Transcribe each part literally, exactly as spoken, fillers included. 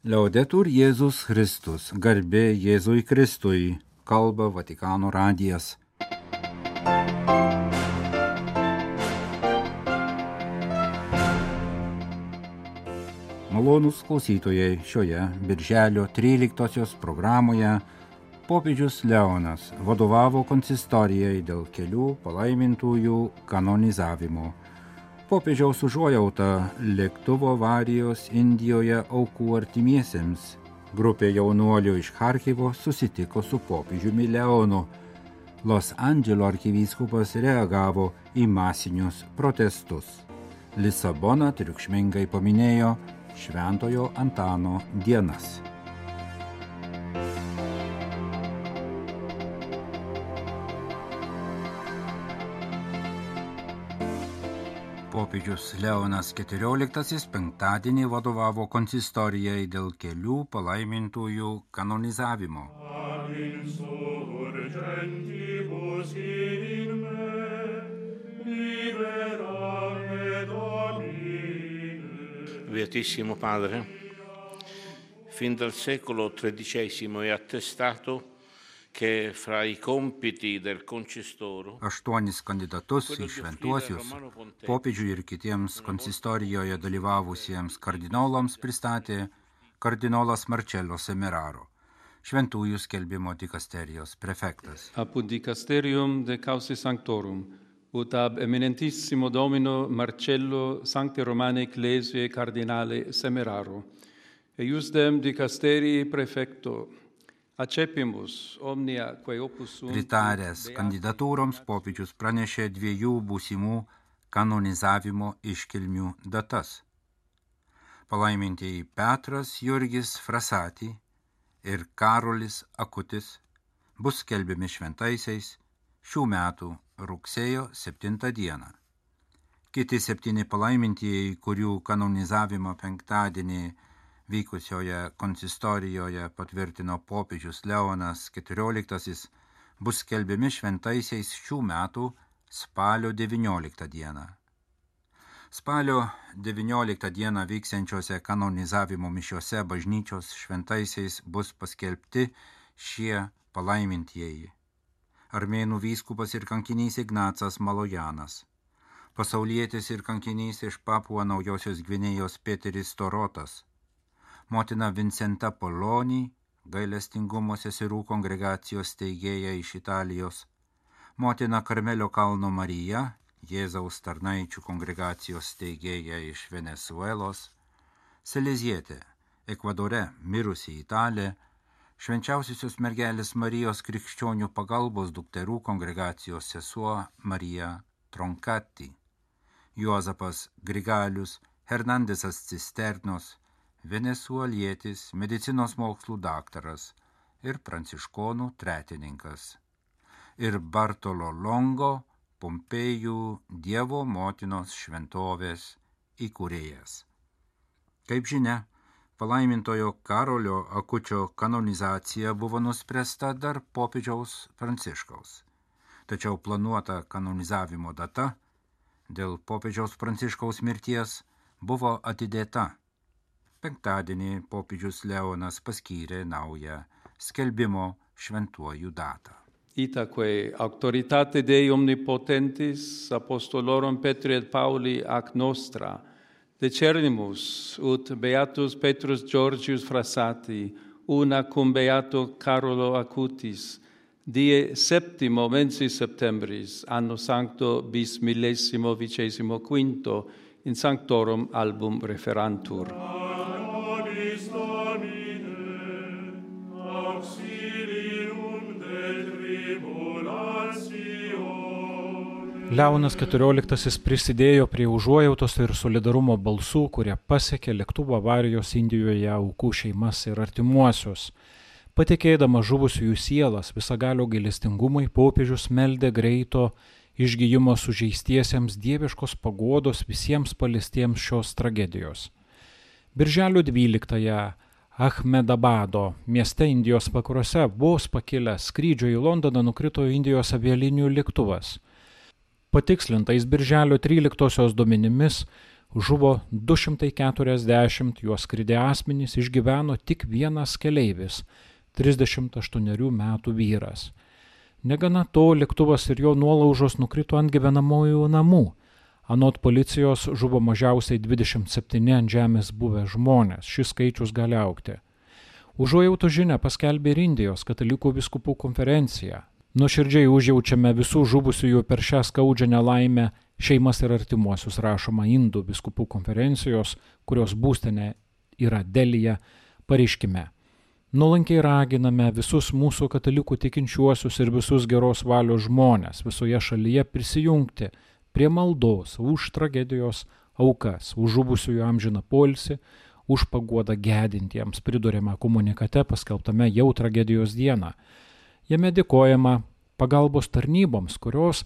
Liaudetur Jėzus Kristus, garbė Jėzui Kristui, kalba Vatikano radijas. Malonūs klausytojai, šioje birželio tryliktosios programoje popiežius Leonas vadovavo konsistorijai dėl kelių palaimintųjų kanonizavimo. Popiežiaus užuojauta lėktuvo avarijos Indijoje aukų artimiesiems. Grupė jaunuolių iš Charkivo susitiko su popiežiumi Leonu. Los Andželo arkivyskupas reagavo į masinius protestus. Lisabona triukšmingai paminėjo Šventojo Antano dienas. Popiežius Leonas keturioliktasis penktadienį vadovavo konsistorijai dėl kelių palaimintųjų kanonizavimo. Beatissimo Padre, fin dal secolo tredicesimo è attestato che fra i compiti del concistoro Aštuonis kandidatus į šventuosius popiežiui ir kitiems konsistorijoje dalyvavusiems kardinolams pristatė kardinolas Marcello Semeraro, šventųjų skelbimo dikasterijos prefektas. Apud dicasterium de causi sanctorum, ut ab eminentissimo domino Marcello Sancte Romane Ecclesiae Cardinale Semeraro, eiusdem dicasterii prefecto, Pritaręs kandidatūroms popiežius pranešė dviejų būsimų kanonizavimo iškilmių datas. Palaimintieji Petras Jurgis Frasati ir Karolis Akutis bus skelbiami šventaisiais šių metų rugsėjo septintą dieną. Kiti septyni palaimintieji, kurių kanonizavimą penktadienį vykusioje konsistorijoje patvirtino popiežius Leonas keturioliktasis, bus skelbiami šventaisiais šių metų spalio devynioliktą dieną. Spalio devynioliktą dieną vyksiančiose kanonizavimo mišiose bažnyčios šventaisiais bus paskelbti šie palaimintieji: armėnų vyskupas ir kankinys Ignacas Malojanas, pasaulietis ir kankinys iš Papua Naujosios Gvinėjos Peteris Torotas, motina Vincenta Poloni, gailestingumo seserų kongregacijos steigėja iš Italijos, motina Karmelio kalno Marija, Jėzaus tarnaičių kongregacijos steigėja iš Venezuelos, Selezietė, Ekvadore mirusi Italė, švenčiausiosios mergelės Marijos krikščionių pagalbos dukterų kongregacijos sesuo Marija Troncati, Juozapas Grigalius Hernandesas Cisternos, venesuelietis, medicinos mokslų daktaras ir pranciškonų tretininkas, ir Bartolo Longo, Pompėjų Dievo motinos šventovės įkūrėjas. Kaip žinia, palaimintojo Karolio Akučio kanonizacija buvo nuspręsta dar popiežiaus Pranciškaus, tačiau planuota kanonizavimo data dėl popiežiaus Pranciškaus mirties buvo atidėta. Penktadienį popiežius Leonas paskyrė naują skelbimo šventuojų datą. Itaque auctoritate Dei omnipotentis apostolorum Petri et Pauli ac nostra, decernimus ut beatus Petrus Georgius Frassati, una cum beato Carolo Acutis, die septimo mensis septembris, anno sancto bis millesimo vicesimo quinto, in sanctorum album referantur. Leonas keturioliktasis prisidėjo prie užuojautos ir solidarumo balsų, kurie pasiekė lėktuvo avarijos Indijoje aukų šeimas ir artimuosius. Patikėdama žuvusiųjų sielas visagalio gailestingumui, popiežius meldė greito išgijimo sužeistiesiems dieviškos paguodos visiems paliestiems šios tragedijos. Birželio dvyliktąją Ahmedabado mieste Indijos vakaruose vos pakilęs skrydžio į Londoną nukrito Indijos avialinijų lėktuvas. Patikslintais birželio tryliktosios duomenimis Žuvo du šimtai keturiasdešimt juos skridę asmenys, išgyveno tik vienas keleivis, trisdešimt aštuonerių metų vyras. Negana to, lėktuvas ir jo nuolaužos nukrito ant gyvenamojų namų. Anot policijos žuvo mažiausiai dvidešimt septyni ant žemės buvę žmonės. Šis skaičius gali augti. Užuojautos žinią paskelbė ir Indijos katalikų vyskupų konferencija. Nuoširdžiai užjaučiame visų žuvusiųjų per šią skaudžią nelaimę šeimas ir artimuosius, rašoma Indų vyskupų konferencijos, kurios būstinė yra Delyje, pareiškime. Nuolankiai raginame visus mūsų katalikų tikinčiuosius ir visus geros valios žmonės visoje šalyje prisijungti prie maldos už tragedijos aukas, už žuvusiųjų amžiną poilsį, už paguodą gedintiems, priduriama komunikate paskelbtame jau tragedijos dieną. Jame dėkojama pagalbos tarnyboms, kurios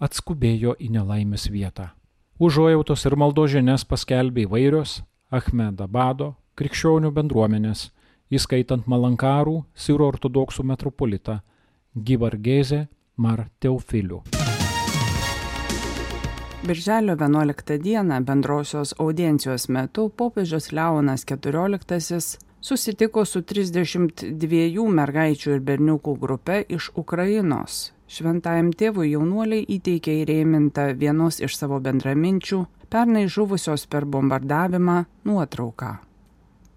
atskubėjo į nelaimės vietą. Užuojautos ir maldos žinias paskelbė įvairios Ahmedabado krikščionių bendruomenės, įskaitant Malankarų sirų ortodoksų metropolitą Givargėzę Mar Teofilių. Birželio vienuoliktą dieną bendrosios audiencijos metu popiežius Leonas keturioliktasis susitiko su trisdešimt dviejų mergaičių ir berniukų grupe iš Ukrainos. Šventajam tėvui jaunuoliai įteikė įrėmintą vienos iš savo bendraminčių, pernai žuvusios per bombardavimą, nuotrauką.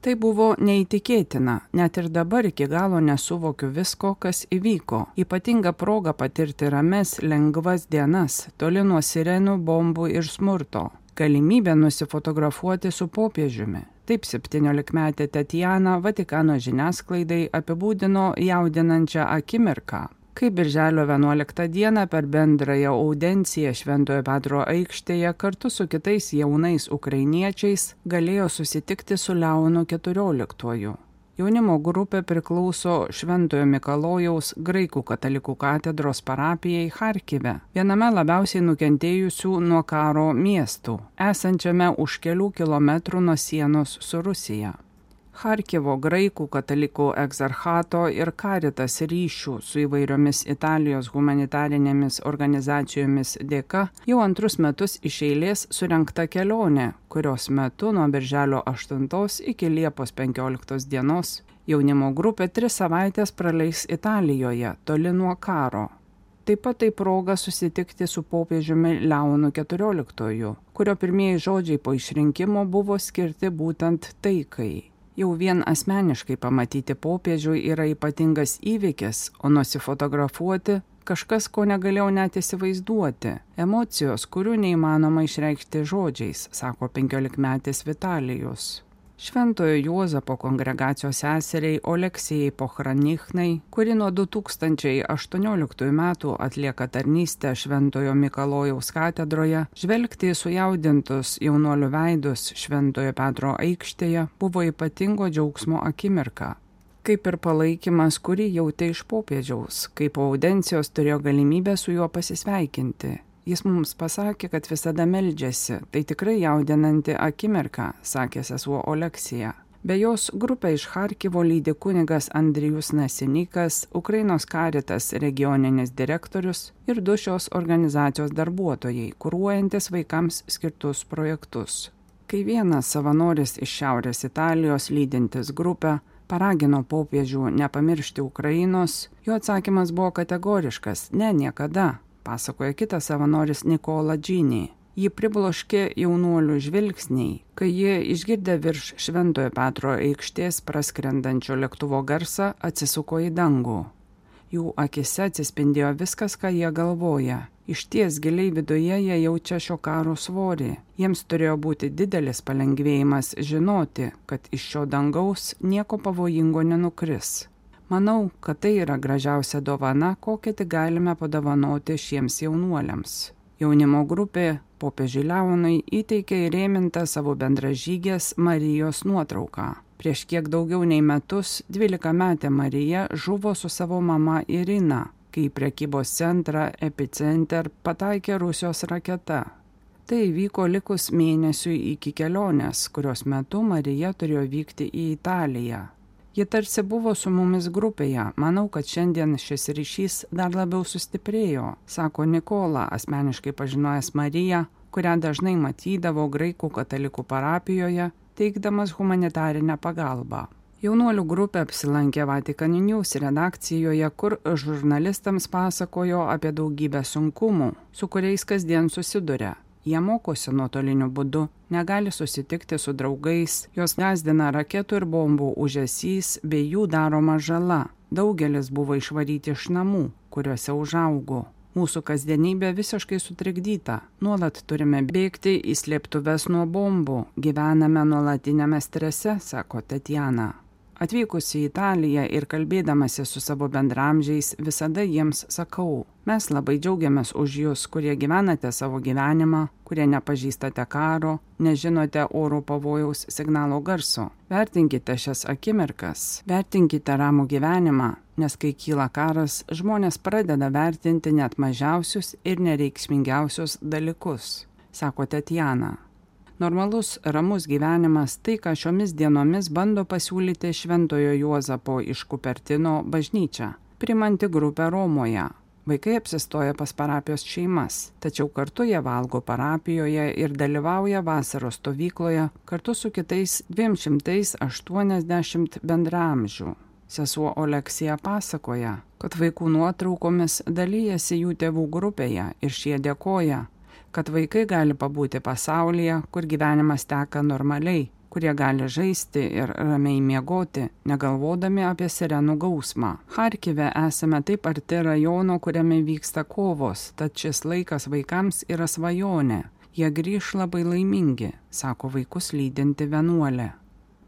Tai buvo neįtikėtina, net ir dabar iki galo nesuvokiu visko, kas įvyko. Ypatinga proga patirti rames, lengvas dienas, toli nuo sirenų, bombų ir smurto. Galimybė nusifotografuoti su popiežiumi. Taip septyniolikmetė Tatjana Vatikano žiniasklaidai apibūdino jaudinančią akimirką. Kai birželio vienuoliktą dieną per bendrąją audenciją Šventojo Petro aikštėje kartu su kitais jaunais ukrainiečiais galėjo susitikti su Leonu keturioliktuoju. Jaunimo grupė priklauso Šventojo Mikalojaus graikų katalikų katedros parapijai Charkive, viename labiausiai nukentėjusių nuo karo miestų, esančiame už kelių kilometrų nuo sienos su Rusija. Charkivo graikų katalikų egzarchato ir Caritas ryšių su įvairiomis Italijos humanitarinėmis organizacijomis dėka jau antrus metus iš eilės surengta kelionė, kurios metu nuo birželio aštuntos iki Liepos penkioliktos dienos jaunimo grupė tris savaitės praleis Italijoje, toli nuo karo. Taip pat tai proga susitikti su popiežiumi Leonu keturioliktuoju, kurio pirmieji žodžiai po išrinkimo buvo skirti būtent taikai. Jau vien asmeniškai pamatyti popiežių yra ypatingas įvykis, o nusifotografuoti kažkas, ko negalėjau net įsivaizduoti. Emocijos, kurių neįmanoma išreikšti žodžiais, sako penkiolikmetis Vitalijus. Šventojo Juozapo kongregacijos seseriai Oleksijai Pochranichnai, kuri nuo du tūkstančiai aštuonioliktųjų metų atlieka tarnystę Šventojo Mikalojaus katedroje, žvelgti į sujaudintus jaunuolių veidus Šventojo Petro aikštėje buvo ypatingo džiaugsmo akimirka. Kaip ir palaikymas, kurį jautė iš popiežiaus, kaip po audencijos turėjo galimybę su juo pasisveikinti. Jis mums pasakė, kad visada meldžiasi, tai tikrai jaudinanti akimirka, sakė sesuo Oleksija. Be jos grupę iš Charkivo lydi kunigas Andrijus Nasinikas, Ukrainos Caritas regioninis direktorius ir du šios organizacijos darbuotojai, kuruojantis vaikams skirtus projektus. Kai vienas savanoris iš Šiaurės Italijos lydintis grupę paragino popiežių nepamiršti Ukrainos, jo atsakymas buvo kategoriškas: ne, niekada. Pasakoja kitas savanoris Nikola Džinį. Jį pribloškė jaunuolių žvilgsniai, kai jie išgirdę virš Šventojo Petro aikštės praskrendančio lėktuvo garsą atsisuko į dangų. Jų akise atsispindėjo viskas, ką jie galvoja. Išties giliai viduje jie jaučia šio karo svorį. Jiems turėjo būti didelis palengvėjimas žinoti, kad iš šio dangaus nieko pavojingo nenukris. Manau, kad tai yra gražiausia dovana, kokią tik galime padovanoti šiems jaunuoliams. Jaunimo grupė popiežiui Leonui įteikė įrėmintą savo bendražygės Marijos nuotrauką. Prieš kiek daugiau nei metus dvylikametė Marija žuvo su savo mama Irina, kai į prekybos centrą Epicenter pataikė Rusijos raketa. Tai įvyko likus mėnesiui iki kelionės, kurios metu Marija turėjo vykti į Italiją. Ji tarsi buvo su mumis grupėje. Manau, kad šiandien šis ryšys dar labiau sustiprėjo, sako Nikola, asmeniškai pažinojęs Mariją, kurią dažnai matydavo graikų katalikų parapijoje, teikdamas humanitarinę pagalbą. Jaunuolių grupė apsilankė Vatican News redakcijoje, kur žurnalistams pasakojo apie daugybę sunkumų, su kuriais kasdien susiduria. Jie mokosi nuotoliniu būdu, negali susitikti su draugais, jos gąsdina raketų ir bombų ūžesys bei jų daroma žala. Daugelis buvo išvaryti iš namų, kuriuose užaugo. Mūsų kasdienybė visiškai sutrikdyta. Nuolat turime bėgti į slėptuves nuo bombų. Gyvename nuolatinėme strese, sako Tatjana. Atvykusi į Italiją ir kalbėdamasi su savo bendramžiais, visada jiems sakau, mes labai džiaugiamės už jūs, kurie gyvenate savo gyvenimą, kurie nepažįstate karo, nežinote oro pavojaus signalo garso. Vertinkite šias akimirkas, vertinkite ramų gyvenimą, nes kai kyla karas, žmonės pradeda vertinti net mažiausius ir nereikšmingiausius dalykus, sako Tatjana. Normalus, ramus gyvenimas tai, ką šiomis dienomis bando pasiūlyti Šventojo Juozapo iš Kupertino bažnyčia, primanti grupę Romoje. Vaikai apsistoja pas parapijos šeimas, tačiau kartu jie valgo parapijoje ir dalyvauja vasaros stovykloje kartu su kitais dviem šimtais aštuoniasdešimt bendraamžių. Sesuo Oleksija pasakoja, kad vaikų nuotraukomis dalyjasi jų tėvų grupėje ir šie dėkoja, kad vaikai gali pabūti pasaulyje, kur gyvenimas teka normaliai, kurie gali žaisti ir ramiai miegoti, negalvodami apie sirenų gausmą. Charkive esame taip arti rajono, kuriame vyksta kovos, tad šis laikas vaikams yra svajonė. Jie grįš labai laimingi, sako vaikus lydinti vienuolė.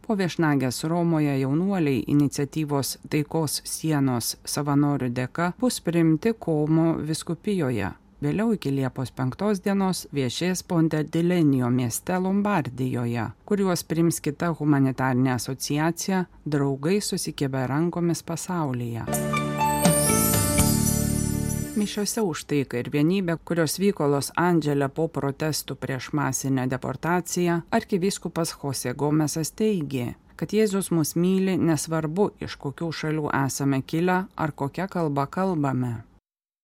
Po viešnagės Romoje jaunuoliai iniciatyvos Taikos sienos savanorių dėka bus priimti Como vyskupijoje. Vėliau iki Liepos penktos dienos viešės Pontedilenio mieste Lombardijoje, kuriuos priims kita humanitarinė asociacija Draugai susikibę rankomis pasaulyje. Mišiose už taiką ir vienybę, kurios vyko Los Andžele po protestų prieš masinę deportaciją, arkivyskupas Jose Gomesas teigė, kad Jėzus mus myli nesvarbu, iš kokių šalių esame kilę ar kokią kalbą kalbame.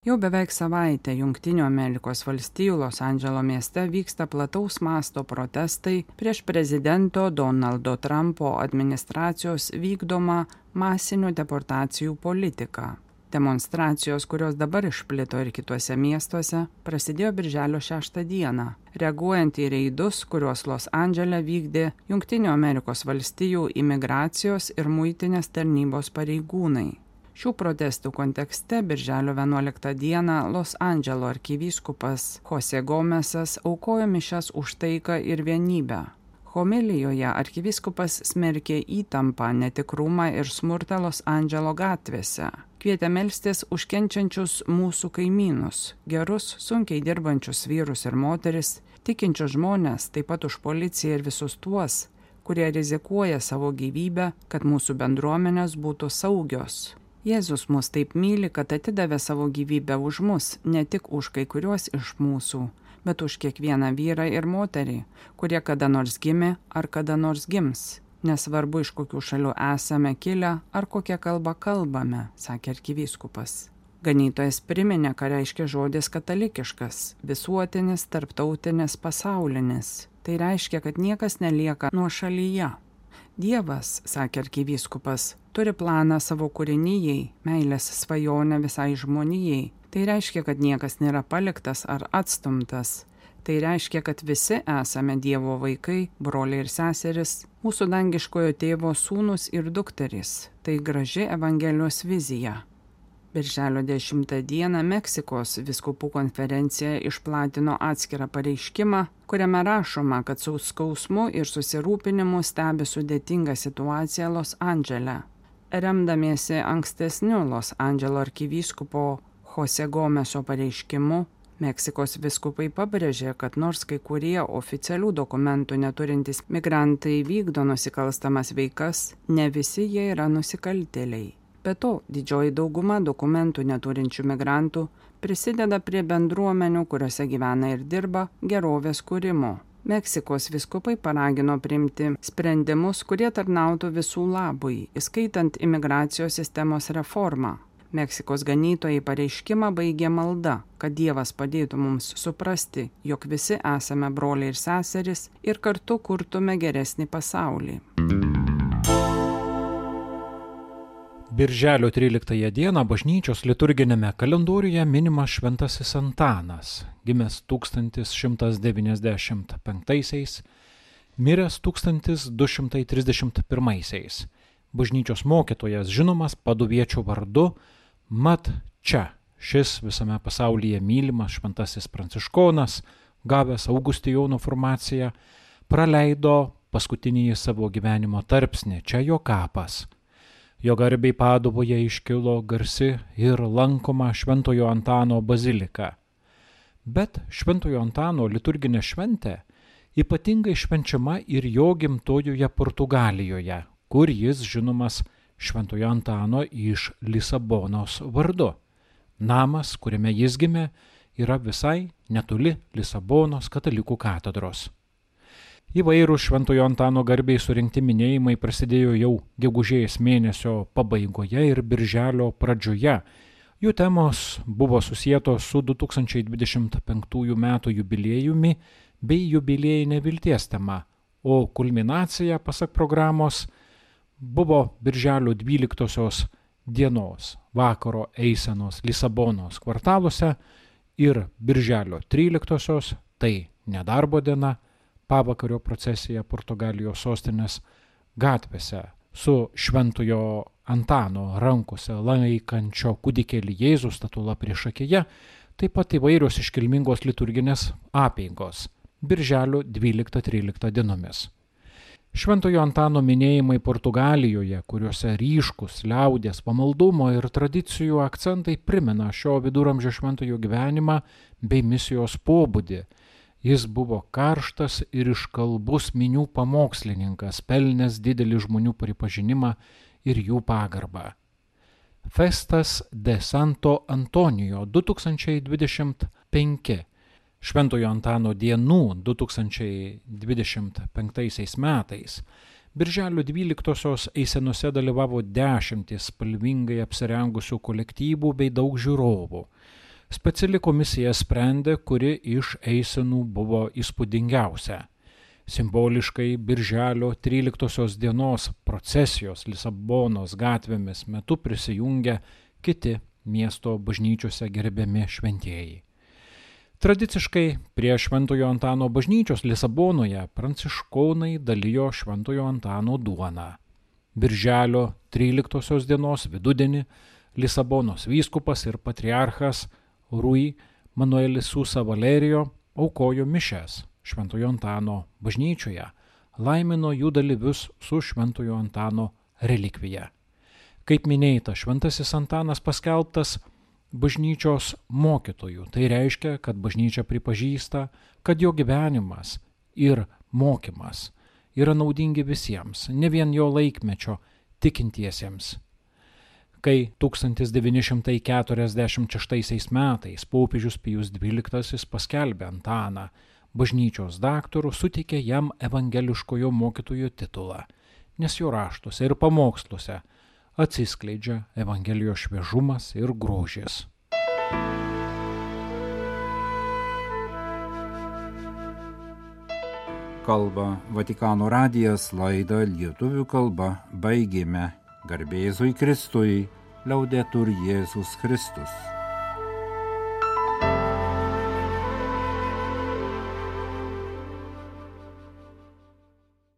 Jau beveik savaitę Jungtinių Amerikos valstijų Los Andželo mieste vyksta plataus masto protestai prieš prezidento Donaldo Trumpo administracijos vykdomą masinių deportacijų politiką. Demonstracijos, kurios dabar išplito ir kituose miestuose, prasidėjo birželio šeštą dieną, reaguojant į reidus, kuriuos Los Andžele vykdė Jungtinių Amerikos valstijų imigracijos ir muitinės tarnybos pareigūnai. Šių protestų kontekste birželio vienuoliktą dieną Los Andželo arkivyskupas Jose Gomesas aukojo mišias už taiką ir vienybę. Homilijoje arkivyskupas smerkė įtampą, netikrumą ir smurtą Los Andželo gatvėse. Kvietė melstis už kenčiančius mūsų kaimynus, gerus, sunkiai dirbančius vyrus ir moteris, tikinčius žmonės, taip pat už policiją ir visus tuos, kurie rizikuoja savo gyvybę, kad mūsų bendruomenės būtų saugios. Jėzus mus taip myli, kad atidavė savo gyvybę už mus, ne tik už kai kuriuos iš mūsų, bet už kiekvieną vyrą ir moterį, kurie kada nors gimė ar kada nors gims. Nesvarbu, iš kokių šalių esame kilę ar kokią kalbą kalbame, sakė arkivyskupas. Ganytojas priminė, ką reiškia žodis katalikiškas, visuotinis, tarptautinis, pasaulinis. Tai reiškia, kad niekas nelieka nuošalyje. Dievas, sakė arkivyskupas, turi planą savo kūrinijai, meilės svajonę visai žmonijai. Tai reiškia, kad niekas nėra paliktas ar atstumtas. Tai reiškia, kad visi esame Dievo vaikai, broliai ir seseris, mūsų dangiškojo tėvo sūnus ir dukterys. Tai graži Evangelijos vizija. Birželio dešimtą dieną Meksikos vyskupų konferencija išplatino atskirą pareiškimą, kuriame rašoma, kad su skausmu ir susirūpinimu stebi sudėtingą situaciją Los Andžele. Remdamiesi ankstesniu Los Andželo arkivyskupo Jose Gomeso pareiškimu, Meksikos vyskupai pabrėžė, kad nors kai kurie oficialių dokumentų neturintys migrantai vykdo nusikalstamas veikas, ne visi jie yra nusikaltėliai. Be to, didžioji dauguma dokumentų neturinčių migrantų prisideda prie bendruomenių, kuriuose gyvena ir dirba, gerovės kūrimo. Meksikos vyskupai paragino priimti sprendimus, kurie tarnautų visų labui, įskaitant imigracijos sistemos reformą. Meksikos ganytojai pareiškimą baigė malda, kad Dievas padėtų mums suprasti, jog visi esame broliai ir seserys ir kartu kurtume geresnį pasaulį. Birželio tryliktąją dieną bažnyčios liturginėme kalendoriuje minimas Šventasis Antanas, gimęs tūkstantis šimtas devyniasdešimt penktaisiais, miręs tūkstantis du šimtai trisdešimt pirmaisiais. Bažnyčios mokytojas žinomas paduviečių vardu, mat čia šis visame pasaulyje mylimas šventasis pranciškonas, gavęs Augustijono formaciją, praleido paskutinį savo gyvenimo tarpsnį, čia jo kapas. Jo garbei Paduvoje iškilo garsi ir lankoma Šventojo Antano bazilika. Bet Šventojo Antano liturginė šventė ypatingai švenčiama ir jo gimtojoje Portugalijoje, kur jis žinomas Šventojo Antano iš Lisabonos vardu. Namas, kuriame jis gimė, yra visai netoli Lisabonos katalikų katedros. Įvairūs Šventojo Antano garbei surinkti minėjimai prasidėjo jau gegužės mėnesio pabaigoje ir birželio pradžioje. Jų temos buvo susietos su du tūkstančiai dvidešimt penktųjų metų jubiliejumi bei jubiliejinė vilties tema, o kulminacija, pasak programos, buvo birželio dvyliktosios dienos vakaro eisenos Lisabonos kvartaluose ir birželio tryliktosios, tai nedarbo diena, pavakario procesija Portugalijos sostinės gatvėse su Šventojo Antano rankose laikančio kūdikėlį Jėzų statula priešakyje, taip pat įvairios iškilmingos liturginės apeigos birželio dvyliktą tryliktą dienomis. Šventojo Antano minėjimai Portugalijoje, kuriuose ryškus liaudies pamaldumo ir tradicijų akcentai primena šio viduramžio šventojo gyvenimą bei misijos pobūdį. Jis buvo karštas ir iškalbus minių pamokslininkas, pelnęs didelį žmonių pripažinimą ir jų pagarbą. Festas de Santo Antonijo du tūkstančiai dvidešimt penki. Šventojo Antano dienų du tūkstančiai dvidešimt penktaisiais metais birželio dvyliktosios eisenose dalyvavo dešimtys spalvingai apsirengusių kolektyvų bei daug žiūrovų. Speciali komisija sprendė, kuri iš eisenų buvo įspūdingiausia. Simboliškai birželio tryliktosios dienos procesijos Lisabonos gatvėmis metu prisijungė kiti miesto bažnyčiose gerbiami šventieji. Tradiciškai prie Šventojo Antano bažnyčios Lisabonoje pranciškonai dalijo Šventojo Antano duoną. Birželio tryliktosios dienos vidudienį Lisabonos vyskupas ir patriarchas Rui Manuelis Susa Valerijo aukojo mišias Šventojo Antano bažnyčioje, laimino jų dalyvius su Šventojo Antano relikvija. Kaip minėta, Šventasis Antanas paskelbtas bažnyčios mokytojų. Tai reiškia, kad bažnyčia pripažįsta, kad jo gyvenimas ir mokymas yra naudingi visiems, ne vien jo laikmečio tikintiesiems. Kai tūkstantis devyni šimtai keturiasdešimt šeštaisiais metais popiežius Pijus dvyliktasis paskelbė Antaną bažnyčios daktaru, suteikė jam evangeliškojo mokytojo titulą, nes jo raštuose ir pamoksluose atsiskleidžia Evangelijos šviežumas ir grožis. Kalba Vatikano radijas, laidą lietuvių kalba baigėme. Garbė Jėzui Kristui, Liaudetur Jėzus Kristus.